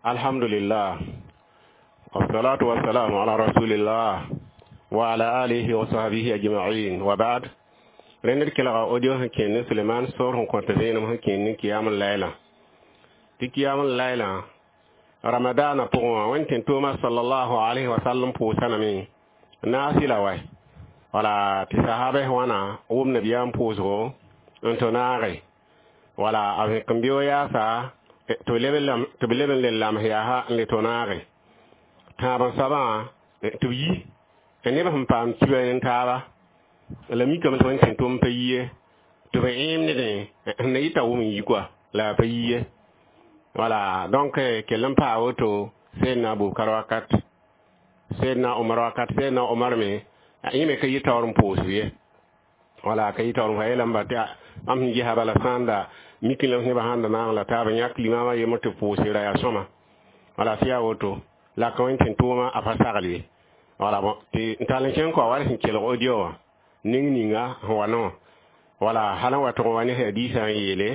Alhamdulillah, wassalatu wassalamu ala rasulillah wa ala alihi wa sahbihi ajma'in, wa ba'd. Rẽnd d kelga audio sẽn kẽnd ne Suleman sor sẽn kõt vẽenem sẽn kẽnd ne kiyam layla tɩ kiyam layla ramadana pʋgẽ wã wẽnd tẽn-toomã sallallahu alayhi wa sallam pʋʋsa lame naasɩla wa wala tɩ sahabɛs wãna wʋm nabiyaam pʋʋsgo n tɩ naage wala a vẽk n beo yaasa tɩ b leb n le lams yaasa n le tɩ naage tãab n soabã tɩ b yi neb sẽn paam kiba n taaba la mikame tɩ wẽnd tẽn-tʋm pa yi ye tɩ b ẽem nedẽ sẽn na yɩta wʋm n yi koa la a pa yi ye wala. Donc kell n paa woto Seydna Abubakar wakat, Seydna Omar wakat, Seydna Omar me yẽ me ka yɩ taoor n pʋʋsb ye wala ka yɩ taoor n fa yeelame tɩ mam sẽn gesa bala sãanda mik la nebã sãn da naag la taaba yãk limama yembr tɩ pʋʋse ra yaa sõma wala tɩ yaa woto la ka wẽnd tẽn-tʋʋmã a pa sagl ye wala. Bon, tɩ n tall n kẽng kɔa wala sẽn kelg audio wã ning ninga sẽn wa no wala hal n wa tʋg wa ne hadiisã n yeele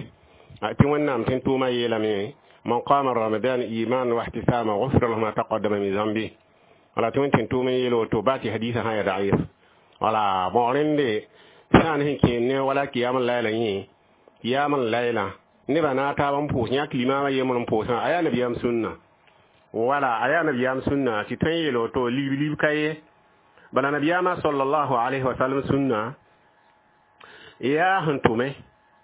tɩ Wẽnnaam tẽn-tʋʋmã yeelame: man qama ramadan iman wa ihtisama ghufira lahu ma taqaddama min zambi. Wala tɩ wẽnd tẽn-tʋʋm n yeel woto baa tɩ hadiisã sã ya daif wala. Bon, rẽnde sã n sẽn kẽen ne wala kiyam layla yẽ kiyam layla nebã na taab n pʋʋs yãk limaamã yembr n pʋʋsã a yaa nabiyaam sũnna wala a yaa nabiyaam sũnna tɩ tõe n yeel woto lib lib ka ye bala nabiyaamã sallallahu alayhi wa sallam sũnna yaa sẽn tʋme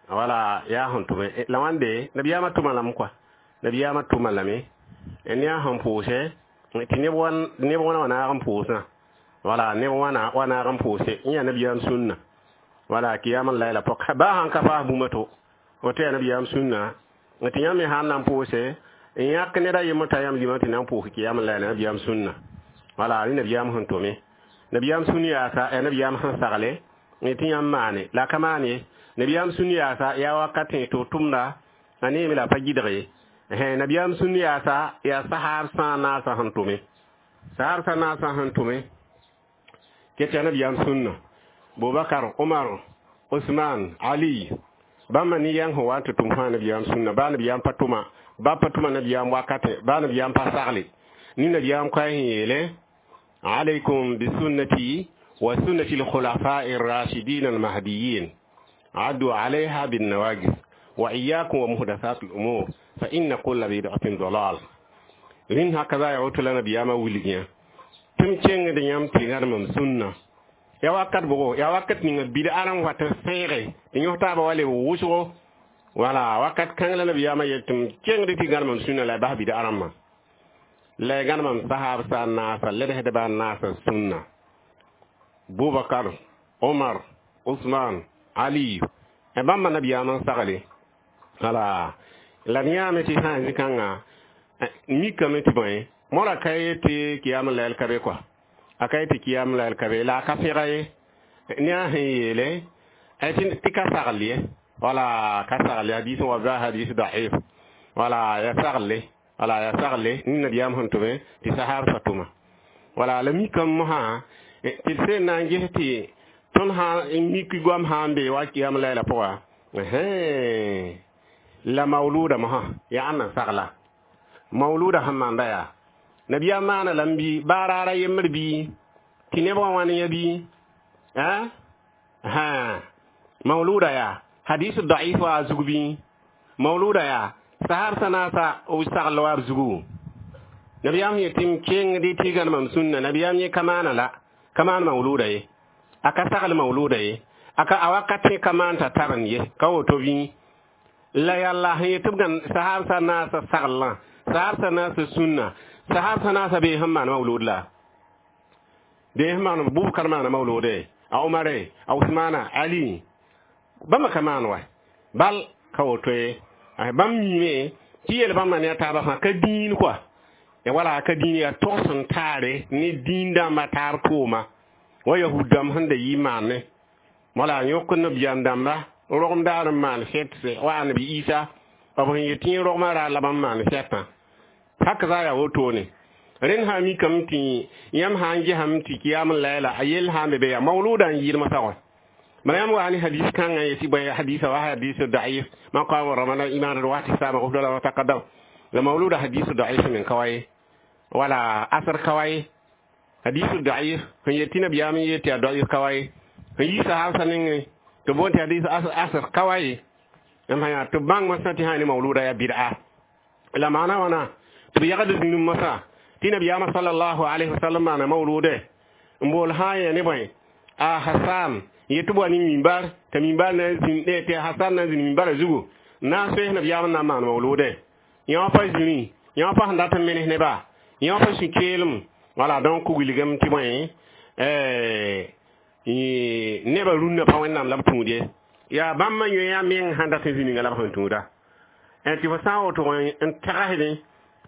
wala yaa sẽn tʋme la wãnde nabiyaamã tʋma lame koa nabiyaamã tʋma lame ne a sẽn pʋʋsɛ tɩ neb wãna wa naag n pʋʋsã wala neb wãna wa naag n pʋʋse n yaa nabiyaam sũnna wala kiyam layla pɔk baa sãn ka paas bũmb to woto yaa nabiyaam sũnna tɩ yãmb me sãn na n pʋʋse n yãk ned a yembr t'a yãmb limã tɩ na n pʋʋs kiyam layla nabiyaam sũnna wala rẽ nabiyaam sẽn tʋme nabiyaam sũn yaasa yaa nabiyaam sẽn sagle tɩ yãmb maane la a ka maan ye nabiyaam sũn yaasa yaa wakatẽ tɩ b tʋmda a neeme la a pa gɩdg ye nabiyaam sũn yaasa yaa sahaab sã naasã sẽn tʋme sahaab sã naasã sẽn tʋme ket yaa nabiyaam sũnna Bubakar, Umar, Usman, Ali bãmba ne yãng sẽn wa n tɩ tʋm fãa nabiyaam sũnna baa nabiyaam pa tʋma ba pa tʋma nabiyaam wakatẽ baa nabiyaam pa sagle ne nabiyaam koɛɛ sẽn yeele: alaykum bisunnati wa sunnati alkhulafai الراشدين المهديين عدوا عليها بالنواجذ وإياكم ومحدثات الأمور فإن كل بدعة ضلال. Rẽnd haka yaa woto la nabiyaamã wilg yã tɩ m kẽngd yãmb tɩ gãdemam sũnna ya wakat bʋgo yaa wakat ninga bid'a n wat n sẽege tɩ yõs taaba wa leb wʋsgo wala wakat kãng la nabiyaamã yel tɩ m kẽngd tɩ gãdemam sũnna la y bas bid'a rãmbã la y gãdemam sahaab sa naasa ledsdbã naasa sũnna Bubakar, Omar, Usman, Ali bãmba nabiyaamã n sagle wala la d yãame tɩ sã n zĩ-kãngã mikame tɩ bõe mora ka ye tɩ kiyam layl ka be koa a ka ye tɩ kiyam layl ka be la a ka pẽga ye ne a sẽn yeele tɩ ka sagl ye wala ka sagle hadis wa ba hadis daif wala ya sagle wala ya sagle ni nabiyaam sẽn tʋme tɩ sahab sa tʋma wala la mikame mosã tɩ d sẽn na n ges tɩ tõnd sã n mik goam sã n be wa kiyam layla pʋga la mauluda mosã yaa ãnna sagla mauluda sẽn maanda yaa nabiyaam maana lame bɩ baa raara yembr bɩ tɩ neb wã wãn yã bɩ mauluda yaa hadis daif wa a zug bɩ mauluda yaa sahab sã naasa b sagl wa b zugu nabiyaam sẽn yetɩ m kẽngd tɩ gãnemam sũnna nabiyaam yẽ ka maana la ka maan mauluda ye a ka sagl mauluda ye a ka a wakatẽ ka maan t'a tar n ye ka woto bɩ la yalla sẽn yetɩ b gãn sahab sã naasa saglã sahab sã naasa sũnna sahab sã naasa bee sẽn maan maulud la bee sẽn maan Bubakar maana maulude a Umare a Usmana Ali bãmba ka maan wa bal ka woto ye bãmb miime tɩ yel bãmba ne a taaba fãa ka dĩin koa ya wala ka dĩin yaa togs n taare ne dĩin dãmbã taab tʋʋma wa yahud dãmb sẽn da yɩ maane wala yõk nabiyaam dãmba rogem daar n maan sɛtse wa annabi Isa b sẽn yet tɩ rogmã ra la bãmb maan sɛtã hak za yaa wotone rẽnd sã mikame tɩ yãmb sã n gesame tɩ kiyam n layla a yell sã n be be yaa mauluda n yɩɩdmã sagoe bala yãmb wa ne hadis kãngã yetɩ bõe hadisa wa hadis daif man qama ramana imanan wa ihtisaba ghufira lahu ma taqaddam. La mawluda hadisu da'if min kawai wala asar kawai hadisu da'if sẽn yet tɩ nabiyaam n yet tɩ yaa da'if kawai sẽn yi sahab nengẽ tɩ boond tɩ hadis asar kawai m sã yaa tɩ b bãng masã tɩ sã ne mawluda yaa bid'a la maana wãna tɩ b yagd zĩnum masã tɩ nabiyaamã sallallahu alayhi wasallam maana mawlude n bool sã n yɛ ne bõe a Hasan yet tɩ b wa ne mimbar t'a mimbar na n zĩnd tɩ Hasan na n zĩnd mimbarã zugu n na n soes nabiyaam n na n maan mawlude yã pa zĩri yã pa sẽn dat n menes neba yã pa sũ-keelem wala donc wilgame tɩ bõe nebã rũnnã pa wẽnnaam la b tũud ye yaa bãmb yõ meng sãn dat n zĩ ninga la b sẽn tũuda tɩ fo sã n woto n tagsdẽ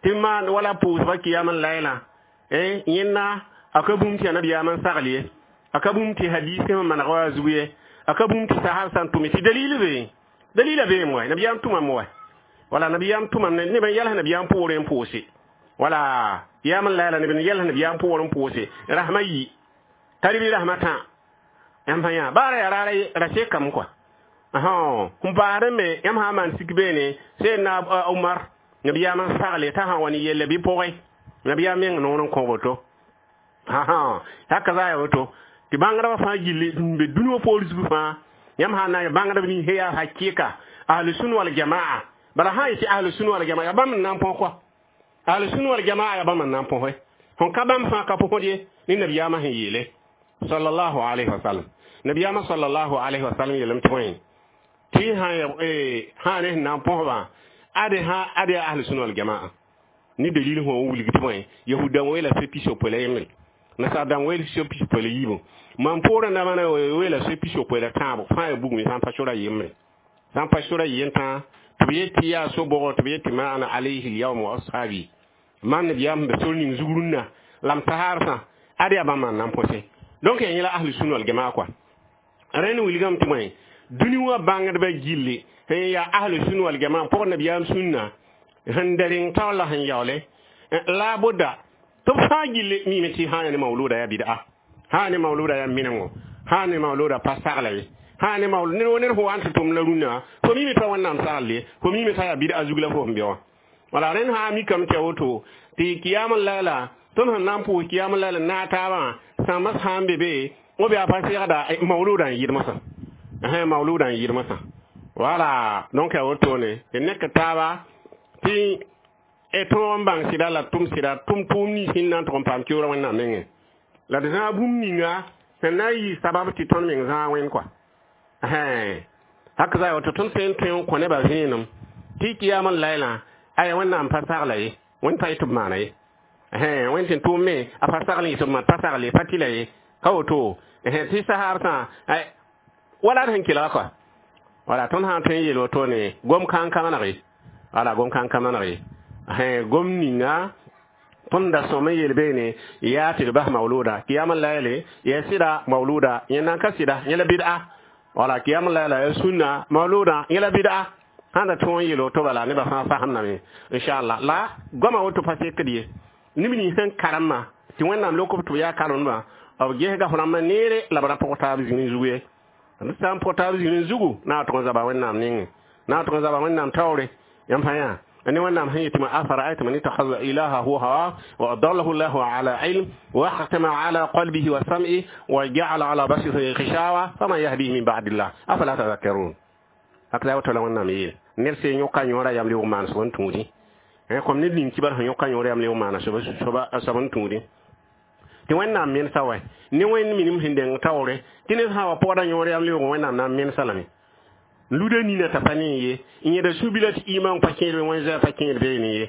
tɩ maan wala pʋʋsba kiyam n layla yẽnda a ka bũmb tɩ yaa nabiyaam n sagl ye a ka bũmb tɩ hadis sẽn maneg wa zug ye a ka bũmb tɩ sahab sã n tʋme tɩ dalil be dalila beem wa nabiyaam tʋmame wa wala nabiyaam tʋmam neb n yɛls nabiyaam poorẽ n pʋʋse wala yaam n layla neb n yɛls nabiyaam poorẽ n pʋʋse rasmã yi tari bɩ rasmã tã yãmb sã yã baara yaa raara ra sekame kɔa n paasd me yãmb sã n maan sik beene sẽn na Umar nabiyaam n sagle t'a sã wa ne yelle bɩ pʋgẽ nabiyaam meng noor n kõ woto haka za ya woto tɩ bãngdbã fãa gilli n be dũni wã poor zug fãa yãmb sã n na n bãngdb nins yaa hakɩka ahlu sunna wal jamaa bala sã n yetɩ ahlu sunna wal jamaa yaa bãmb n na n põs kɔa ahlu sunna wal jamaa yaa bãmb n na n põse sẽn ka bãmb fãa ka põsd ye ne nabiyaamã sẽn yeele sallallahu alayhi wa sallam nabiyaamã sallallahu alayhi wa sallam yeelame tɩ bõe tɩ sã ne sẽn na n põsbã ade sã ade yaa ahlu sunna wal jamaa ne dalil sẽn wa wilg tɩ bõe yahud-dãmb weela soe pis-yopoe la yembre nasaar dãmb weel soe pis-yopoe la yiibu mam poorã dãmbã na weela soe pis-yopoe la tãabo fãa yaa bugme sã n pa sora yembre sã n pa sora yen tãa tɩ b yet tɩ yaa so-bogr tɩ b yet tɩ ma ana alayhi lyawm wa ashabi mam nabiyaam sẽn be sor ning zug rũnnã la m tasaarsã ad yaa bãmb n na n põse donc yaa yẽla ahlu sunna wal jamaa kɔa rẽnd wilgame tɩ bõe dũni wã bãngdbã gilli sẽn yaa ahlu sunna wal jamaa pʋg nabiyaam sũnna sẽn da reng taoor la sẽn yaoole la buda tɩ b fãa gilli miime tɩ sã n yaa ne mawluda yaa bid'a sã n ne mawluda yaa menengo sã n ne mawluda pa sagla ye sã n ne mawlud ned ned fo wa n tɩ tʋm la rũnnã fo miime t'a wẽnnaam sagl ye fo miime t'a yaa bid'a zug la fo sẽn be wã wala rẽnd sã n mikame tɩ ya woto tɩ kiyam n layla tõnd sẽn na n pʋʋs kiyam n layla naag taabã sãmbã sã n be be b yaa pa segda mawluda n yɩd mosã mawluda n yɩd mosã wala donc yaa wotone tɩ nek taaba tɩ tõog n bãng sɩda la tʋm sɩda tʋm tʋʋm nins sẽn na n tʋg n paam keoora wẽnnaam nengẽ la d zãag bũmb ninga sẽn na n yɩ sabab tɩ tõnd meng zãag wẽnd kɔa hak za woto tõnd sẽn n tõe n kõ nebã vẽenem tɩ kiyam n laylã aya wẽnnaam pa sagla ye wẽnd pa yetɩ b maana ye wẽnd sẽn tʋʋm me a pa sagl n yetɩ b maan pa sagle pa tɩla ye ka woto tɩ saharsã wala d sẽn kelga kɔa wala tõnd sã n tõe n yeel wotone gom kãn ka maneg ye wala gom kãn ka maneg ye gom ninga tõnd da sõm n yeel beene yaa tɩ d bas mawluda kiyam n layle yaa sɩda mawluda yẽ nan ka sɩda yẽ la bid'a wala kiyam n layla yaa sũnna mawluda yẽ la bid'a sãn da tõog n yeel woto bala nebã fãa fasemdame inchallah la goama woto pa sekd ye neb nins sẽn karemã tɩ wẽnnaam lok b tɩ b yaa karemdbã b gesga f rãmbã neere la b ra pʋg taab zĩni zug ye d sã n pʋg taab zĩni zugu na tʋg n zaba wẽnnaam nengẽ na tʋg n zaba wẽnnaam taoore yãmb sã yaa أن ونعم هي ما أفرأيت من اتخذ إلهه هواه وأضله الله على علم وختم على قلبه وسمعه وجعل على بصره غشاوة فمن يهديه من بعد الله أفلا تذكرون هكذا وتلا ونعم يل نرسي يوكا يورا يملي ومان سبن تودي comme ned ning kibar sẽn yõka yõor yam le maana soab n tũudi tɩ wẽnnaam mensa wɛ ne wẽnd minim sẽn deng taoore tɩ ned sã wa pɔgda yõor yam leoog wẽnnaam na n mensa lame luda nina t'a pa ne ye n yẽda su-bila tɩ iman pa kẽed be wẽn zoɛɛ pa kẽed beene ye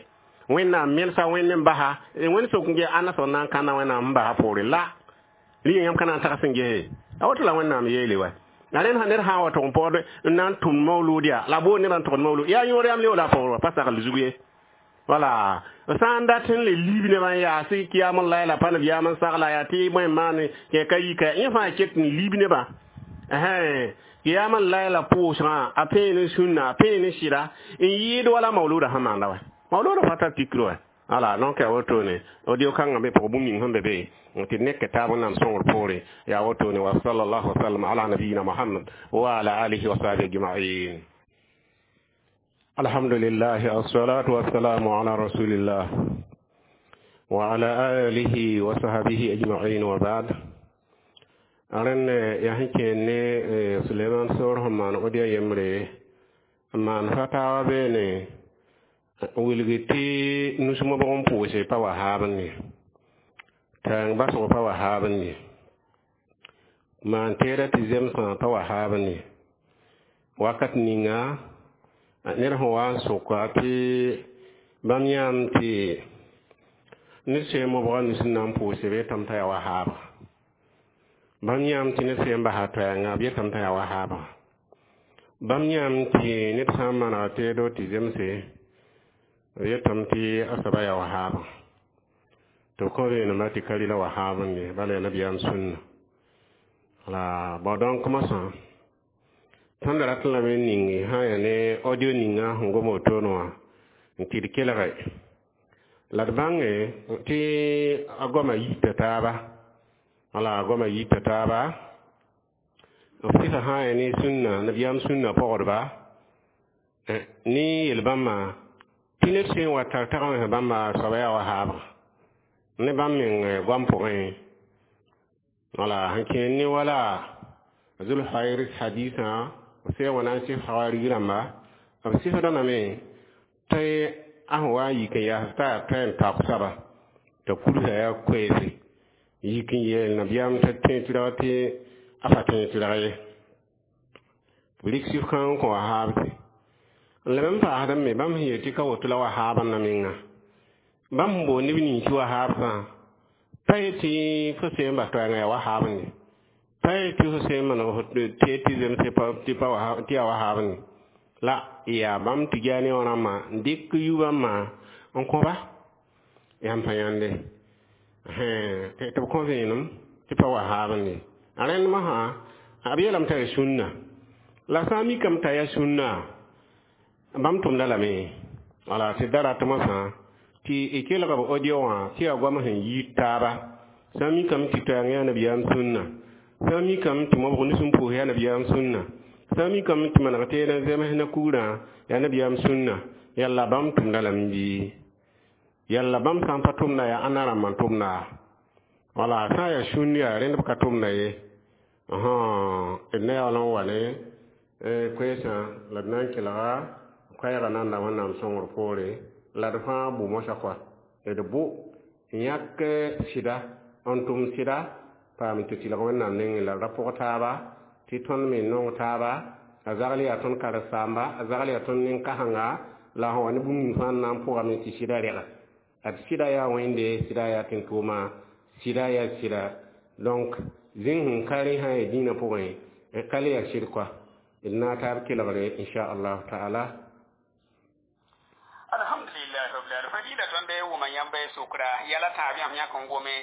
wẽnnaam mensa wẽnd n basa wẽnd sok n ge ãnna soab na n kãnna wẽnnaam n basa poore la rɩ yãmb ka na n tags n gese a woto la wẽnnaam yeele wa la rẽnd sã ned sã n wa tʋg n paood n na n tʋm mawlud yaa la boond nebã n tʋgd mawlud yaa yõor yam leoog la a paoor wa pa sagl zug ye wala sã n dat n le liib nebã n yaas kiyam n layla pa nabiyaam n sagla yaa tɩ bõe n maan kẽ ka yika yẽ fãa ket n liib nebã kiyam n layla pʋʋsgã a pẽen n sũnna a pẽen n sɩda n yɩɩd wala mawluda sẽn maanda wa mawluda pa tar tikr wa ala donc yaa wotone audio kãngã be pʋgã bũmb ning sẽn be be tɩ nek taab n nam sõngr poore yaa wotone wa sallallahu wasallam ala nabiyina Muhammad wa ala alihi wa sahbihi ajma'in. Alhamdulillah, assalatu wassalamu ala rasulillah wa ala alihi wa sahbihi ajma'in, wa ba'd. Aren ya sẽn kẽer ne Suleman soor sẽn maan audio yembre n maan fatawa beene n wilg tɩ nus mobg n pʋʋse pa wa haabẽ ye, tãng basg pa wa haabẽ ye, maan teeda tɩ zemsã pa wa haabẽ ye. Wakat ninga ned sẽn wa n soka tɩ bãmb yãam tɩ ned sẽn mobga nus n na n pʋʋse b yetame t'a yaa wa haabga, bãmb yãam tɩ ned sẽn basa toɛɛngã b yetame t'a yaa wa haabga, bãmb yãam tɩ ned sã n manega teedo tɩ zemse b yetame tɩ a soaba yaa wa haabga, tɩ b kõ vẽenemba tɩ ka rɩla wa haabẽ ye, bala yaa nabiyaam sũnna la. Bao donc mosã tõnd rat lame n ning sã n yaa ne audio ninga sẽn gom wotone wã n tɩ d kelge la d bãnge tɩ a goama yita taaba, wala a goama yita taaba. B sɩsa sã n yaa ne sũnna, nabiyaam sũnna pɔgdba ne yel-bãmbã tɩ ned sẽn wa tar tagmsã bãmba soaba yaa wa haabga ne bãmb meng goam pʋgẽ, wala sẽn kẽer ne wala Zulhairis hadisã b sẽn wa na n sɩf hawarig rãmba b sɩfdã lame tɩ a sẽn wa n yik n yaas t'a yaa toɛ n taook soaba t'a kursa yaa koeese yik n yeel nabiyaam t'a tẽ tɩrg tɩ a pa tẽ tɩrg ye, b rɩk sɩf kãng n kõ wa haabse. N leb n paasd me bãmb sẽn yeel tɩ ka woto la wa haabã na menga bãmb sẽn boond neb nins tɩ wa haabsã pa ye tɩ fo sẽn bas toɛɛngã yaa wa haabẽ ye, pa ye tɩ fo sẽn maneg fo tee tɩ zemse tɩ yaa wa haabẽ ye, la yaa bãmb Tijaani wã rãmbã n dɩk yu-bãmbã n kõ-ba yãmb pa yãnde tɩ b kõ vẽenem tɩ pa wa haabẽ ye. A rẽnd mosã b yeelame t'a yaa sũnna, la sã n mikame t'a yaa sũnna bãmb tʋmda lame, wala tɩ da rat mosã tɩ y kelg b audio wã tɩ yaa goam sẽn yiid taaba. Sã n mikame tɩ toɛɛng yaa nabiyaam sũnna, sã n mikame tɩ mobg nus n pʋʋs yaa nabiyaam sũnna, sã n mikame tɩ maneg teed n zems na kugrã yaa nabiyaam sũnna, yalla bãmb tʋmda lame bɩ yalla bãmb sã n pa tʋmda yaa ãnna rãmb n tʋmda, wala sã n yaa sũnd yaa rẽnd b ka tʋmda ye. D na yaool n wa ne koeesã la d na n kelga koɛɛgã nanda Wẽnnaam sõngr poore la d fãa bʋ mosã kɔa d bʋ n yãk sɩda n tʋm sɩda paam tɩ tɩlg Wẽnnaam nengẽ la d ra pʋg taaba tɩ tõnd me nong taaba. A zagl yaa tõnd karen-saamba, a zagl yaa tõnd nin-kãsenga la sẽn wa ne bũmb ning fãa n na n pʋgame tɩ sɩda rɛga. Ad sɩda yaa Wẽnde, sɩda yaa tẽn-tʋʋma, sɩda yaa sɩda. Donc zĩng sẽn ka rẽ sã n yaa dĩinã pʋgẽ ka le yaa sɩd koa. D na taab kelgre inchallahu taala. Alhamdulillah rabbil alamin. Fadila tõnd wʋma yãmb sʋkra yɛla tãab yãmb yãk n gome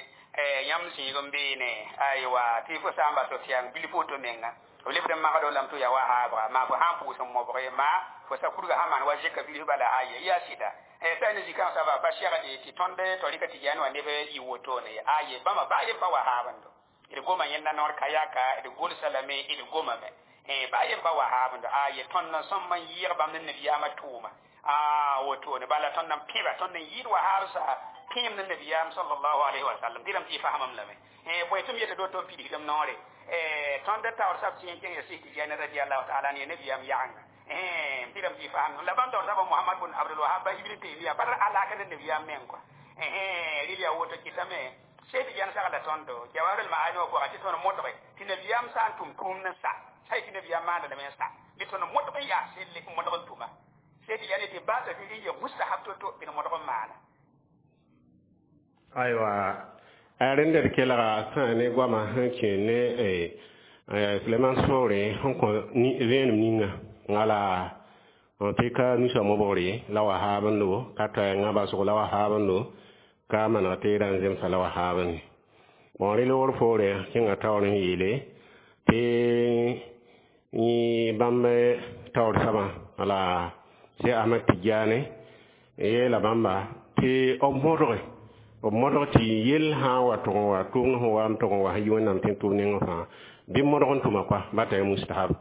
yãmb zĩig n beene aywa tɩ fo sã n bas f tɩ yaa bilf woto menga f lebd n magdo lame tɩ yaa wa haabga maa fo sã n pʋʋs n mobge maa fo sa kurga sã maan wa zɩka bilf bala aye yaa sɩda sã ne zikã soaba pa segde tɩ tõnd torika Tɩjaani wã neb yɩ wotone aye bãmba baa yen pa wa haabendo d goma yẽnda noor ka yaka d gʋlsa lame d gomame baa yen pa wa haabendo aye tõnd n sõm n yɩɩg bãmb ne nabiyaamã tʋʋma a wotone bala tõnd n pẽba tõnd n yɩɩd wa haabsa pẽem ne nabiyaam sallallahu alaihi wa sallam tɩ rãmb tɩ fasamam lame bõe tɩ m yeta do tɩ m pidsdm noore tõnd taoor sab tɩ kẽng ya Sɩs Tijani radiallahu taala ne nabiyaam yaganga tɩ rãmb tɩ fasam la bãmb taoor saba Muhammad bun Abdul Wahab Ibn Taymiya pa alaka ne nabiyaam meng kɔa rɩl yaa woto kɩtame Sẽn Tɩ sagla tõndo Jawahir al-Ma'ani wã pʋga tɩ tõnd modge tɩ nabiyaam sã n tʋm tʋʋmd n sa sa tɩ nabiyaam maanda lame n sa bɩ tõnd modg n yaa selle n modg n tʋma Sẽn Tɩ tɩ baasa tɩ rɩ ye mustahab to-to bɩ d modg n maana. Aywa, a rẽnd d kelga sã ne goamã sẽn kẽ ne Suleman sõore sẽn kõ vẽenem ninga wala tɩ ka nusa mobgre la wa haabendo ka toɛɛngã basg la wa haabendo ka maneg teedã n zemsa la wa haabẽ. Bon, rẽ loogr poore kẽnga taoor n yeele tɩ bãmb taoor soabã wala Sẽn Ahmad Tijaani yeela bãmba tɩ b modg tɩ yell sã n wa tʋg n wa tʋʋng sẽn wa n tʋg n wa sẽn yi Wẽnnaam tẽn-tʋʋm nengẽ fãa bɩ modg n tʋma koa ba t'a mustahab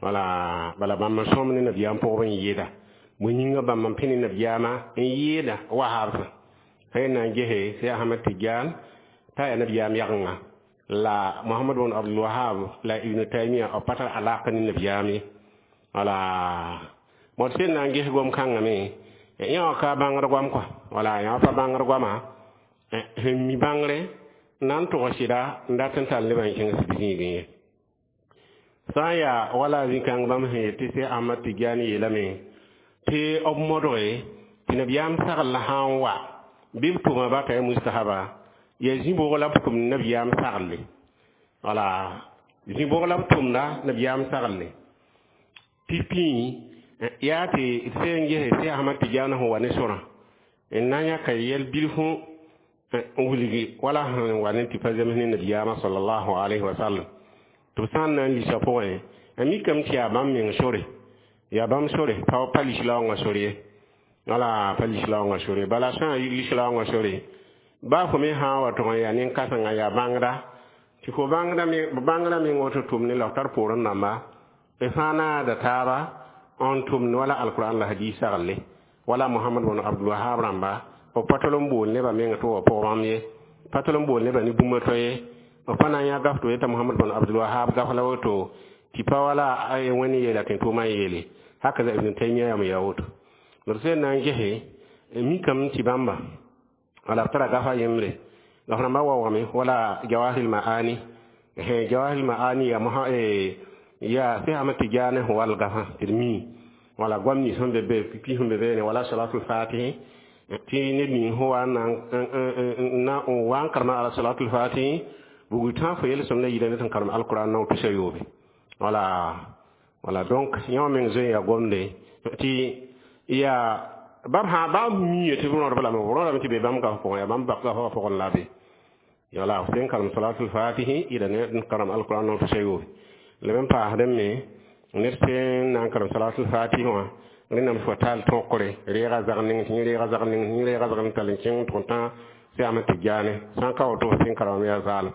wala bala bãmb n sõm ne nabiyaam pʋgb n yɩɩda. Bõe yĩngã bãmb n pẽ ne nabiyaamã n yɩɩda wahabsã sẽn na n gese sẽn Ahmad Tijan t'a yaa nabiyaam yagenga la Muhammad bn Abdul Wahab la Ibn Taymiya b pa tar alaka ne nabiyaam ye. Wala bõd sẽn na n ges gom-kãngã me yã wã ka bãngd goam kɔa, wala yã wã pa bãngd goama sẽn mi bãngre na n tʋg sɩda n dat n tall nebã n kẽng sib zĩigẽ ye. Sã n yaa wala zĩ-kãng bãmb sẽn yet tɩ Sẽn Ahmad Tijani yeelame tɩ b modge tɩ nabiyaam sagl sã n wa bɩ b tʋma bata ya mustahaba yaa zĩ-bʋg la b tʋmd nabiyaam sagle, wala zĩ-bʋg la b tʋmda nabiyaam sagle tɩ pĩi yaa tɩ sẽn gese tɩ Ahmad Tijani sẽn wa ne sorã n na n yãka yɛl bilfu n wilgi wala sẽn wa ne tɩ pa zems ne nabiyaamã sallallahu alayhi wa sallam tɩ b sã n na n lisa pʋgẽ a mikame tɩ yaa bãmb meng sore, yaa bãmb sore pa lislaoongã sore ye, wala pa lislaoongã sore. Bala sã n yi lislaoongã sore baa fo me sã n wa tʋg n yaa nin-kãsengã yaa bãngda tɩ fo bãngda meng woto tʋm ne la f tar poorẽ rãmba b fãa naada taaba n tʋmd wala alquran la hadis sagle wala Muhammad bn Abdul Wahab rãmba b pa tol n bool nebã meng tɩ wa pʋg bãmb ye, pa tol n bool nebã ne bũmb to ye, b pa na n yã gaf tɩ yeta Muhammad bn Abdul Wahab gaf la woto tɩ pa wala wẽnd yeela tɩ tʋʋmã n yeele haka za Ibn Taymiya yam yaa woto. D sẽn na n gese mikame tɩ bãmba wala b tara gafa yembre gaf rãmbã waoogame wala Jawahir Maani, Jawahir Maani ya ya sẽn Ahmad Tijani sẽn wall gafã tɩ d mi wala goam nins sẽn be be pipi sẽn be beene wala salatul fatihi tɩ ned ning sẽn wa n wa n karema ala salatul fatihi bugl tã fo yel-sõm la yida ne tɩ n karem alquran nao tusa yoobe. Wala donc yã wã meng zoe ya gomde tɩ yaa bãmb sã baa miye tɩ b rõdb lame, b rõdame tɩ be bãmb gaf pʋgẽ, yaa bãmb gafã pʋgẽ la be wala f sẽn karem salatul fatihi yida ne n karem alquran nao tusa yoobe. La b n paasdẽ me ned sẽn na n karem salatul fatihi wã rẽnnaam fo taal tõkre reega zag ning tɩ yẽ reega zag ning tɩ yẽ reega zag ning tall n kẽng tʋg n tã sẽn Ahmad Tijani sã n ka woto f sẽn karemame yaa zaalem.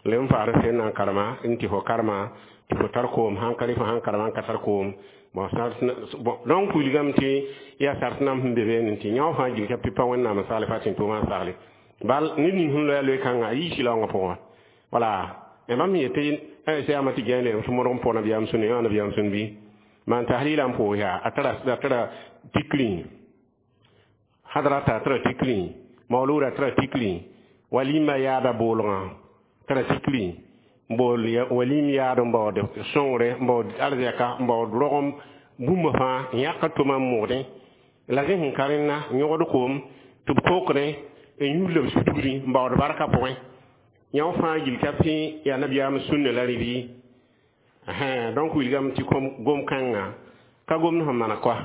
La b n paasd sẽn na n karema n tɩ fo karema tɩ fo tar koom sãn ka rɩ fo sãn karema n ka tar koom. Bon, donc wilgame tɩ yaa sart nam sẽn be beene tɩ yã wã fãa gil ka pɩ pa wẽnnaam n sagle fa tɩ tʋʋmã n sagle bal ned ning sẽn loa loe-kãngã a yii sɩlaoongã pʋgã. Wala bãmb sẽn yetɩ sẽn Ahmad Tijani leelem tɩ modg n pʋg nabiyaam sũnne yã nabiyaam sũn bɩ maan tahlila n pʋʋs yaa a tara tikri hadrata tara tikri mauluda tara tikri walima yaada boolgã tara tikri bool walim yaad n baood sõngre n baood arzɛka n baood rogem bũmb fãa n yãk tʋma n moogdẽ la zẽ sẽn ka rẽnna n yõgd koom tɩ b kokdẽ n yũud la b sudgri n baood barka pʋgẽ yã wã fãa gil ka pẽ yaa nabiyaam sũnne la rɩ. Donc wilgame tɩ gom-kãngã ka gomd sẽn mana koa.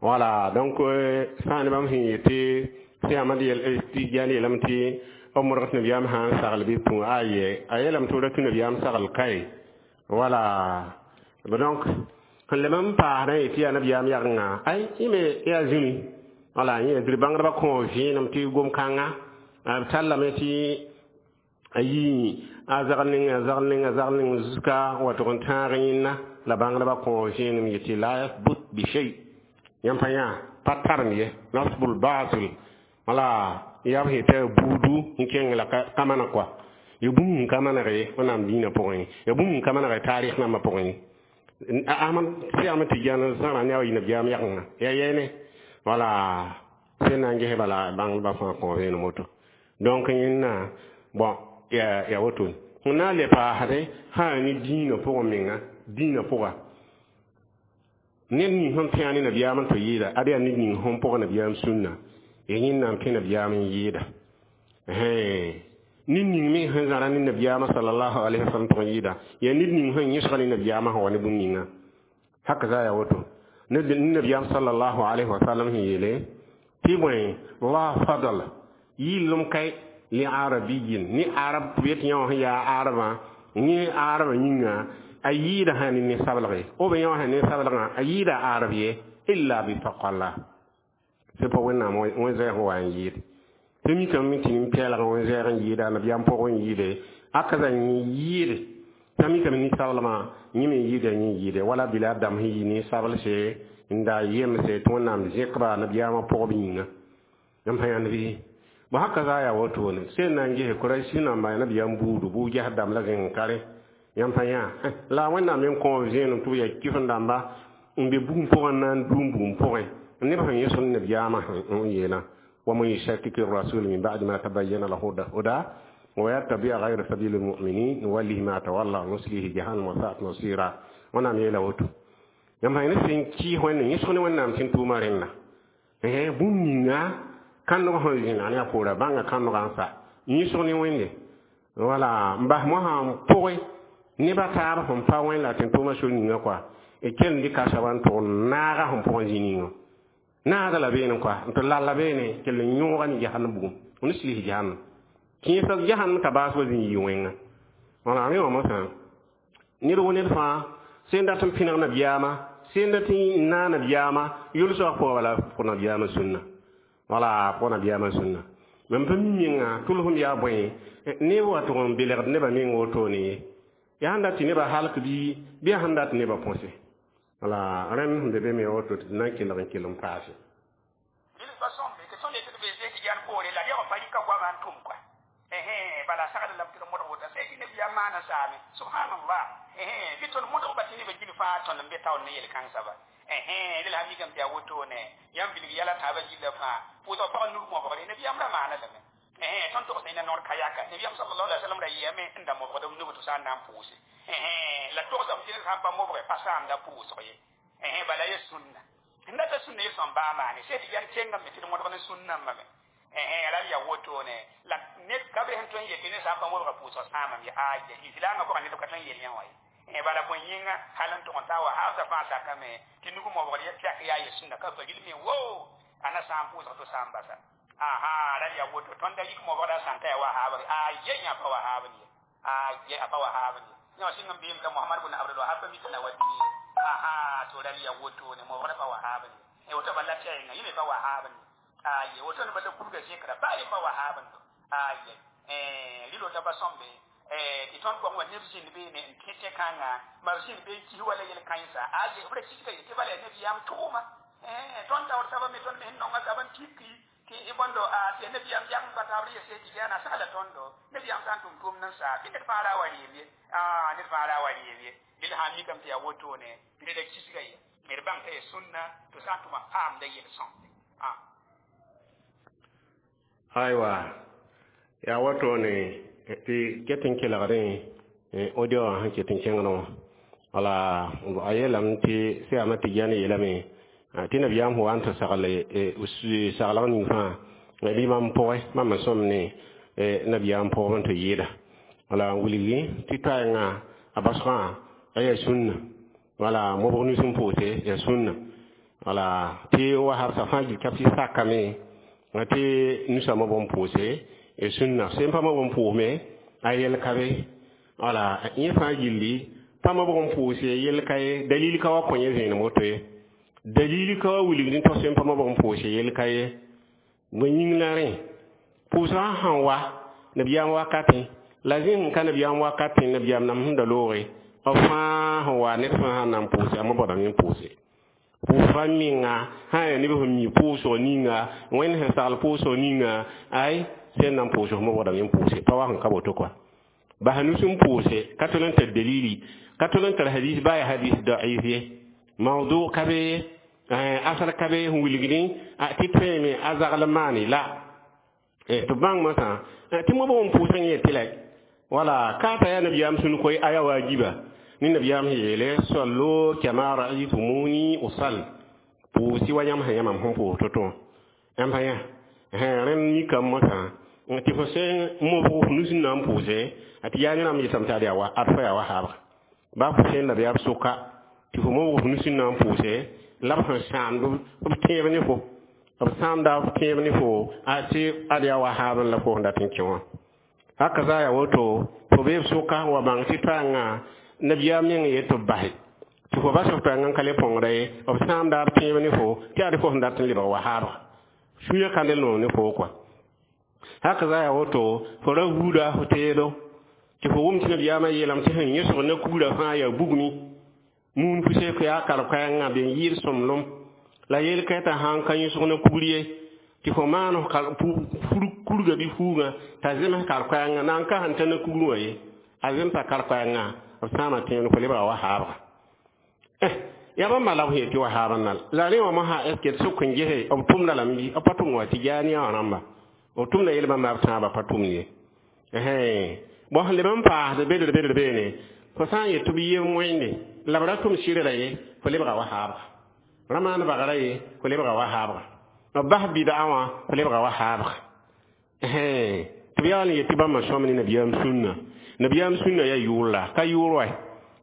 Wala donc sã ne bãmb sẽn yetɩ sẽn Ahmad Tijani yeelame tɩ b modg tɩ nabiyaam sã n sagl bɩ pũ aye a yeelame tɩ b ra tũ nabiyaam sagl kae. Wala donc sẽn lem n paasdã yetɩ yaa nabiyaam yagenga ay yẽ me yaa zũni, wala yẽ yaa bãngdbã kõ vẽenem tɩ gom-kãnga b tallame tɩ a yi a zagl ning a zagl ning a zagl ning zuska wa tʋg n tãag yẽnna la bãngdbã kõ vẽenem yetɩ la yasbut bi shay yãmb pa yã pa tarem ye nasbul batil wala yaa b sẽn tɩ buudu n kẽng la ka maneg kɔa ya bũmb n ka maneg ye wẽnnaam dĩinã pʋgẽ ye, ya bũmb n ka maneg taarɩs nambã pʋgẽ ye. Ahmad sẽn Ahmad Tijani zãra ne a wa yɩ nabiyaam yagenga ya yɛɛne wala sẽn na n ges bala bãngdbã fãa kõ vẽenem woto. Donc yẽnna bon ya woto sẽn na n le paasdẽ sã ne dĩinã pʋgẽ menga dĩinã pʋga ned ning sẽn pẽ ne nabiyaam n tɩ yɩɩda ad yaa ned ning sẽn pʋg nabiyaam sũnna ya yẽnna n pẽ nabiyaam n yɩɩda. Ned ning me sẽn zãra ne nabiyaamã sallallahu alayhi wa sallam tʋg n yɩɩda yaa ned ning sẽn yẽsga ne nabiyaamã sẽn wa ne bũmb ninga haka za yaa woto. Ned nabiyaam sallallahu alayhi wa sallam sẽn yeele tɩ bõe la fadl yɩllem kae li arabiyin ni arab tɩ b yet yã wã sẽn yaa arabã yẽ arabã yĩnga a yɩɩda sã ne ne-sablge b yã wã sã ne-sablgã a yɩɩda arab ye illa bi taqwallah sẽn pa wẽnnaam wẽn-zɛɛg sẽn wa n yɩɩd tɩ mikame tɩ nin-pɛɛlg wẽn-zɛɛg n yɩɩda nabiyaam pʋgẽ n yɩɩde aka za yɩɩd Tãmikame ninsablmã yẽ me yɩɩda yẽ yɩɩde wala bila dãmb sẽn yɩ ninsablse n da yemse tɩ Wẽnnaam zẽkba nabiyaamã pʋgb yĩnga. Yãmb sã yãnd bɩ bõ haka zaa yaa wotone sẽn na n gese Kurɛsi namba nabiyaam buudu bu-ges dãmb la zẽng kare. Yãmb sã yã la Wẽnnaam meng kõ b zẽenem tɩ b yaa kɩf n dãmba n be bugum pʋgẽ n na n dũum bugum pʋgẽ neb sẽn yẽsd nabiyaamã n yeelã ومن يشاكك الرسول من بعد ما تبين له الهدى ويتبع غير سبيل المؤمنين نوله ما تولى ونصليه جهنم وساءت مصيرا. Wẽnnaam yeela woto yãmb sã ne sẽn kɩɩs Wẽnde yẽsg ne Wẽnnaam sẽn tʋʋma rẽnda bũmb ninga kãndg sẽn zĩna ne a poora bãnga kãndgã n sa yẽsg ne Wẽnde wala n bas mosã n pʋgẽ neba taab sẽn pa Wẽnd la tẽn tʋʋma sor ninga kɔa d kell n dɩka soaba n tʋg naaga sẽn pʋgẽ zĩ ninga naaga la beene kɔa n tɩ lalla beene kell n yõoga ne jahannam bugum n sɩls jahannam kẽesg jahannam t'a baas wa zĩ yɩ wẽnga. Wala rẽ wã mosã ned wo ned fãa sẽn dat n pẽneg nabiyaamã sẽn dat n naa nabiyaamã yʋlsg pʋgã bala pʋg nabiyaamã sũnna wala pʋg nabiyaamã sũnna mam pa mi menga tʋlsem yaa bõe neb wa tʋg n belgd nebã meng wotone ye yaa sẽn dat tɩ nebã halk bɩ yaa sẽn dat nebã põse wala rẽnd sẽn be be me woto tɩ d na n kelg n kell n paase. Bala sagl lam tɩ d modg woto sẽn tɩ nabiyaam maana saame subhanallah bɩ tõnd modg ba tɩ nebã gil fãa tõnd n be taoor ne yel-kãngsã ba dẽla sã mikame tɩ yaa wotone yãmb bilg yɛla taabã gilla fãa pʋʋsg pag nur mobgre nabiyaam ra maana lame tõnd togs ne noor ka yaka nabiyaam sallallahu alaihi wasallam ra yɩame n da mobgd b nug tɩ sã n na n pʋʋse la togsame tɩ ned sã n pa mobge pa saamda pʋʋsg ye bala ye sũnna n data sũnna ye sõm baa maane sẽn tɩ yãn kengame tɩ d modg ne sũnnãmbame ra yaa wotone la ned ka be sẽn tõe n yetɩ ne sã n pa mobga pʋʋsg sãamame ye aya islaamã pʋgã ned ka tõe n yel yã wã ye bala bõe yĩnga hal n tʋg n taa wa haasã fãa sakame tɩ nug mobgd tɛk yaa ye sũnna ka pa ril me wo ana sã n pʋʋsg tɩ sã n basa aha ra yaa woto tõnd da yik mobgda sã n ta yaa wahaabr aye yã pa wahaabr ye aye a pa wahaabr ye yã sɩng n beem t'a Mohamad bn Abdul Wahab pa mik na wa dĩni ye aha to ra yaa wotone mobgda pa wahaabr ye woto bala tɛɛnga yẽ me pa wahaabr ye aye woto ne bala kurga zikra ba ye pa wahaabr aye rilo t'a pa sõmbe tɩ tõnd pʋgẽ wa neb zĩnd beene n kẽ tẽ-kãngã ma b zĩnd be n kis wala yel-kãensa aye b ra kisga ye tɩ bala yaa nabiyaam tʋʋma tõnd taoor soaba me tõnd me sẽn nonga soaba n tiki tɩ bõndo tɩ nabiyaam yam pa taabr yese tɩ yaana sagla tõndo nabiyaam sã n tʋm tʋʋmd n saa bɩ ned fãa ra wa reem ye ned fãa ra wa reem ye dẽl sã n mikame tɩ yaa wotone tɩ reda kisga ye d bãng t'a yaa sũnna tɩ sã n tʋma paamda yel-sõmde. Aywa yaa wotone tɩ ket n kelgdẽ audio wã sẽn ket n kẽngdẽ wã wala a yeelame tɩ Sẽn Tɩ yeelame tɩ nabiyaam sẽn wa n tɩ sagle saglg ning fãa bɩ mam pʋgẽ mam n sõm ne nabiyaam pʋgb n tɩ yɩɩda wala n wilgi tɩ toaengã a basgã a yaa sũnna wala mobg nus n pʋʋse yaa sũnna wala tɩ wa habsã fãa gil ka tɩ sakame tɩ nusã mobg n pʋʋse sũnna sẽn pa mobg n pʋʋsme a yɛl ka be wala yẽ fãa gilli pa mobg n pʋʋse yɛl ka ye dalil ka wa kõ yẽ zẽenem woto ye dalil ka wa wilgd n tõ sẽn pa mobg n pʋʋse yɛl ka ye bõe yĩng la rẽ pʋʋsgã sẽn wa nabiyaam wakatẽ la zẽng ka nabiyaam wakatẽ nabiyaam nam sẽn da looge b fãa sẽn wa ned fãa sãn na n pʋʋse a mobgdame n pʋʋse pʋʋsga menga sã n yaa neb sẽn mi pʋʋsg ninga Wẽnd sẽn sagl pʋʋsg ninga ay sẽn na n pʋʋsg mobgdame n pʋʋse pa wa sẽn ka woto kɔa bas nus n pʋʋse ka tol n tar dalili ka tol n tar hadis baa yaa hadis da'if ye mawdu ka be asal ka be sẽn wilgdẽ tɩ tõeme a zagl maane la tɩ bãng mosã tɩ mobg n pʋʋsg yẽ tɩ la wala ka ta yaa nabiyaam sũn koe a yaa waajiba ne nabiyaam sẽn yeele sallu kama ra'aytumuni usall pʋʋsɩ wa yãmb sẽn yã mam sẽn pʋʋs to-to wã yãmb sã yã rẽnd mikame mosã tɩ fo sẽn mobg f nus n na n pʋʋse tɩ yaa ne rãmb yetame tɩ ad yaa ad fa yaa wa haabga baa fo sẽn nabiyaam sʋka tɩ fo mobg f nus n na n pʋʋse la b sẽn sãamd b tẽeb ne fo b sãamda b tẽeb ne fo tɩ ad yaa wa haab la fo sẽn dat n kẽ wã haka zaa yaa woto fo bee b sʋka wa bãng tɩ toaengã nabiyaam meng yet tɩ b base tɩ fo bas f toaengã n ka le põngda ye b sãamda b tẽeb ne fo tɩ ad fo sẽn dat n lebg wa haabga sũyã kãndel noog ne fo kɔa haka zaa yaa woto fo ra buuda fo teedo Tɩ fo wʋm tɩ nabiyaamã yeelame tɩ sẽn yõsg na kugrã fãa yaa bugmi muun pʋsɛɛk yaa kar-koɛɛngã ben yɩɩd sõmblem la yel-kɛɛtã sãn ka yõsg na kugr ye tɩ fo maan kurgã bɩ fuugã t'a zems kar-koɛɛngã na n ka sẽn ta na kugrẽ wã ye a zemsa kar-koɛɛngã b sãama tẽen fo lebga wa haabga ya bãmba la b sẽn yetɩ wa haab n la rẽ wã mosã est ce d sʋk n gese b tʋmda lame bɩ b pa tʋm wa tɩ jaaniya wã rãmba b tʋmda yel bãmba b tãabã pa tʋmd ye bõn sẽn leb n paasd bedr bedr beene fo sã n yet tɩ b yem wẽnde la b ra tʋm sɩrra ye fo lebga wa haabga ra maan bagra ye fo lebga wa haabga b bas bɩd'a wã fo lebga wa haabga tɩ b yaool n yet tɩ bãmba sõm ne nabiyaam sũnna nabiyaam sũnna yaa yʋʋr la ka yʋʋr wa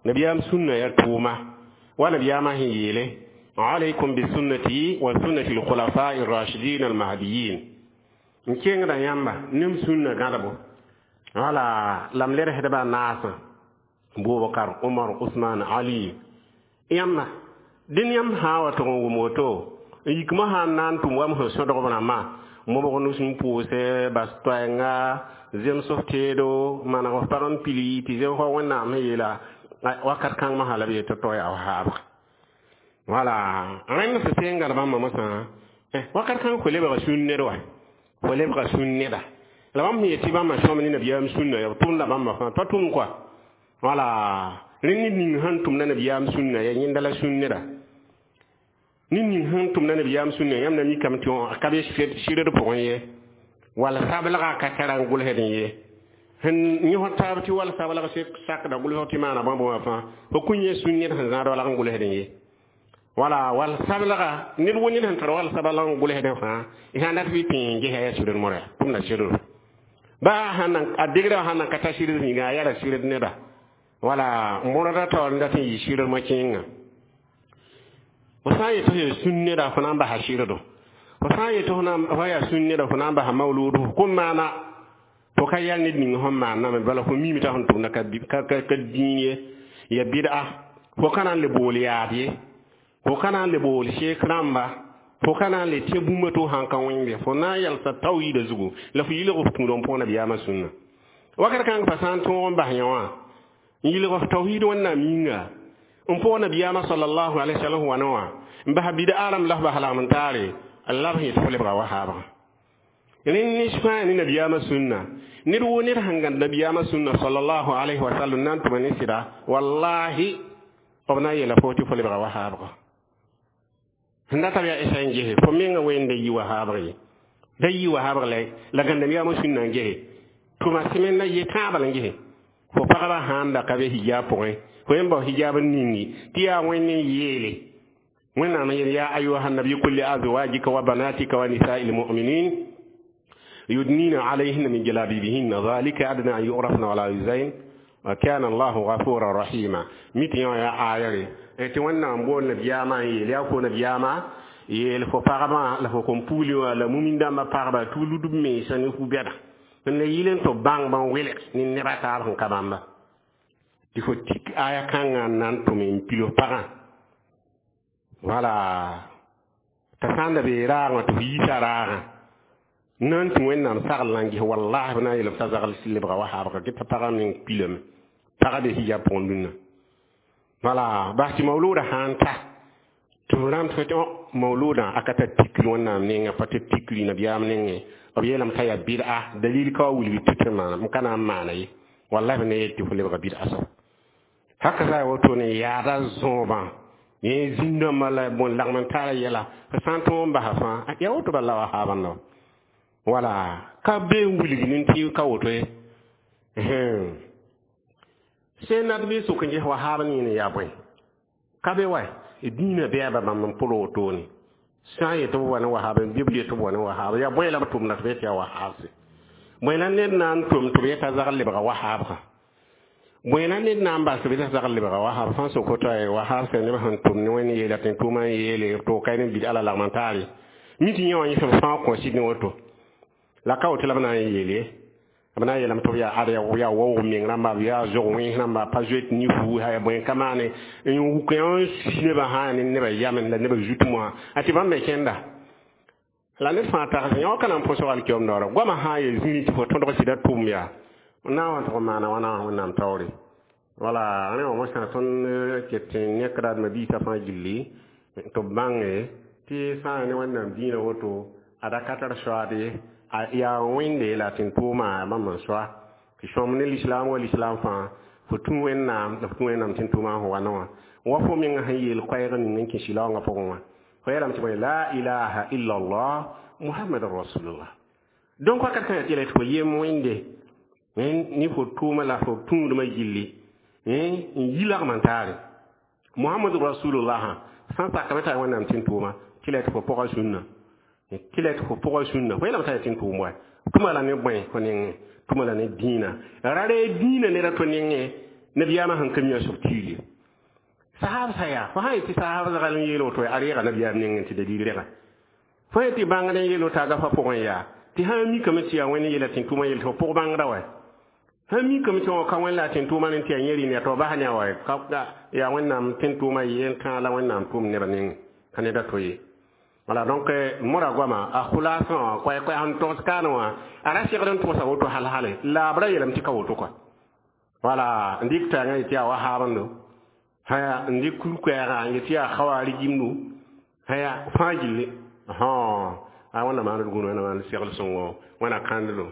nabiyaam sũnna yaa tʋʋma wa nabiyaamã sẽn yeele alaykum bisunnati wa sunnati alkhulafai arrashidin almahdiyin n kengda yãmba nem sũnna gãdbo wala la m lersdbã naasã Bubakar Umar Usman Ali yãmba dẽn yãmb sã n wa tʋg n wʋm woto n yikmã sã n na n tʋm wa m sẽn sõdg b rãmbã mobg nus n pʋʋsɛ bas toɛɛnga zems f teedo maneg f pag n pili tɩ zems wa wẽnnaam sẽn yeela wakat kãng mosã la b yet tɩ to yaa haabga wala rẽnd fo sẽn gãd bãmba mosã wakat kãng fo lebga sũn ned wa fo lebga sũn neda la bãmb sẽn yet tɩ bãmba sõm ne nabiyaam sũnna yaa b tʋmda bãmba fãa pa tʋm koa wala rẽnd ned ning sẽn tʋmda nabiyaam sũnna yaa yẽnda la sũn neda ned ning sẽn tʋmda nabiyaam sũnna yãmb na mikame tɩ ka be sɩrd pʋgẽ ye wall sablga ka tara n gʋlsd ye sẽn yõsd taab tɩ wall sablg sakda gʋlsg tɩ maana bãmb wã fãa fo kũ yẽ sũn ned sẽn zãad walg n gʋlsd ye wala wall sablga ned wo ned sẽn tar wall sablg n gʋlsd fãa sã n dat bɩ tẽ n gesa yaa sɩrd mora tʋmda sɩrd ba sãn a degrã sãn nan ka ta sɩrd yĩnga a yaa sɩrd neda wala mõrda taoor n dat n yɩ sɩrd mo-kẽengã fo sã n yet tɩ sũn neda fo na n basa sɩrdo fo sã n yet fo yaa sũn neda fo na n basa mawluudo fo kõn maana fo ka yɛl ned ning sẽn maanname bala fo miime t'a sẽn tʋmda ka dĩin ye ya bɩd'a fo ka na n le bool yaad ye fo ka na n le bool sheek rãmba fo ka na n le tẽ bũmba tɩ f sãn ka wẽnde fo na n yɛlsa tawhiida zugu la fo yilg f tũud n pʋg nabiyaamã sũnna wakat kãng pa sã n tõog n bas yã wã n yilg f tawhiid wẽnnaam yĩnga n pʋg nabiyaamã sallallahu alaihi wasallam wãna wã n bas bɩd'a rãmb la f bas lagm n taare la b sẽn yet fo lebga wa haabga rẽnd nins fãa ne nabiyaamã sũnna ned wo ned sẽn gãd nabiyaamã sũnna sallallahu alaihi wasallam na n tʋma ne sɩda wallahi b na n yeela fo tɩ fo lebga wa haabga sẽn dat b yaa esa n gese fo menga wẽnda yi wa haabg ye da yi wa haabg la gãndam sũnna n gese tʋma sẽmenda ye tãabal n gese fo pagba sãn da ka be hijab pʋgẽ fo yẽn bao hijab n ningi tɩ yaa wẽnd n yeele wẽnnaam yeel ya ayuha nabi qul li azwajika wa banatika wa nisai lmuminin yudnina alayhinna min jalabibihinna dhalika adna an yurafna wala yuzain wa kana allahu ghafuran rahima mi tɩ yã yaa ayare tɩ wẽnnaam bool nabiyaamã n yeel yaa fo nabiyaamã yeel fo pagbã la fo kom pugli wã la mumin dãmbã pagba tɩ b lud b mensa ne fu-bɛda n la yɩl n tɩ b bãng bãn welg ne neba taab sẽn ka bãmba tɩ fo tik aya kãngã n na n tʋm n pil f pagã wala t'a sã n da bee raagã tɩ f yiisa raagã na n tũ wẽnnaam sagl na n ges wallahi b na n yeel t'a zagl lebga wa haabga get t'a pagã meng pilame pagã be hijab pʋgẽ dũnna wala bas tɩ mawlooda sã n ta tɩ f rãmb tɩ mawloodã a ka tar tikri wẽnnaam nengã pa tɩ tikri nabiyaam nengẽ b yeelame t'a yaa bɩd'a dalil ka wa wilg tɩ tɩ maana m ka na n maana ye wallahi b na yel tɩ fo lebga bɩd'a soab haka sa woto ne yaada zõobã yẽ zĩn-dãmbã la bõn lagm n tara yɛla f sã n tõog n basa fãa yaa woto bala wa haabã la wala ka be n wilg ne tɩ ka woto ye sẽn nat bɩ sʋk n ges wa haab yẽne yaa bõe ka be wa dĩinã bɛɛba bãmb n pʋl wotone sã n yet b wa ne wahaab bɩ b yet b wa ne wahaab yaa bõe la b tʋmda tɩ b yet yaa wahaabse bõe la ned na n tʋm tɩ b yeta zagl lebga wahaabga bõe la ned na n bas tɩ b yeta zagl lebga wahaab sã n sok woto wahaab sẽn neb sẽn tʋm ne wẽnd yeela tɩ tʋʋmã n yeele to ka ne bid ala lagm n taare mi tɩ yẽ wã yẽsem fãa kõ sɩd ne woto la ka woto la b na n yeel ye b na n yeelame tɩ b yaa ad yaa waoog meng rãmba b yaa zog wẽns rãmba pa zoet ne fuu yaa bõe ka maane n wuk yã n sus nebã sã ne nebã yamend la nebã zut mosã a tɩ bãmb me kẽnda la ned fãa tags yã wa ka na n põsg alkiom daoora goamã sã n yaa zĩri tɩ fo tõdg sɩda tʋʋm yaa Na wã tʋg n maana wãna wẽnnaam taoore. Wala rẽ wã mosã tõnd ket n yẽkda d mabiisã fãa gilli tɩ b bãnge tɩ sã n ne wẽnnaam dĩinã woto ad a ka tar soaad ye, yaa wẽnde la tẽn-tʋʋma bãmb n soa tɩ sõm ne lislaam wa lislaam fãa fo tũ wẽnnaam la fo tũ wẽnnaam tẽn-tʋʋmã sẽn wa wã wa fo meng sẽn yeel koɛɛg ning n kẽ sɩlaoongã pʋgẽ wã fo yeelame tɩ bõe la ilaha illa allah muhammadan rasulullah. Donc wakat kãngã tɩ yeela tɩ fo yem wẽnde ne fo tʋʋma la fo tũudmã gilli n yi lagm n taare muhammadu rasulullah sã n sakame t'a wẽnnaam tẽn-tʋʋma tɩ la tɩ fo pʋga sũnna tɩ la tɩ fo pʋga sũnna fo yeelame t'a yaa tẽn-tʋʋm wa tʋma la ne bõe fo nengẽ tʋma la ne dĩinã ra reeg dĩinã ned a to nengẽ nabiyaamã sẽn ka mi a sob tiir ye sahab sa yaa fo sã n yetɩ sahab zagl n yeel woto a reega nabiyaam nengẽ tɩ dalil rega fo yetɩ bãngd n yeel woto a gafa pʋgẽ yaa tɩ sã n mikame tɩ yaa wẽnd yeela tẽn-tʋʋmã yel tɩ fo pʋg bãngda wa sã n mikame tɩ wã ka wẽnd la a tẽn-tʋʋmã ne tɩ yaa yẽ rɩ ne tɩ f bas ne a wa yaa wẽnnaam tẽn-tʋʋmã yel kãa la wẽnnaam tʋʋm nebã nengẽ ka ned a to ye. Wala donc mora goama a khulaasã wã koɛ-koɛ sẽn togs kaane wã a ra segd n tʋgsa woto hal hale la b ra yeelame tɩ ka woto kɔa. Wala n dɩk tãngã yetɩ yaa wahaabendo haya n dɩk kur-koɛɛgã n yetɩ yaa khawarijimdu haya fãa gilli a wẽnna maand gũud wẽnna maand segl sõngo wẽna kãnddo.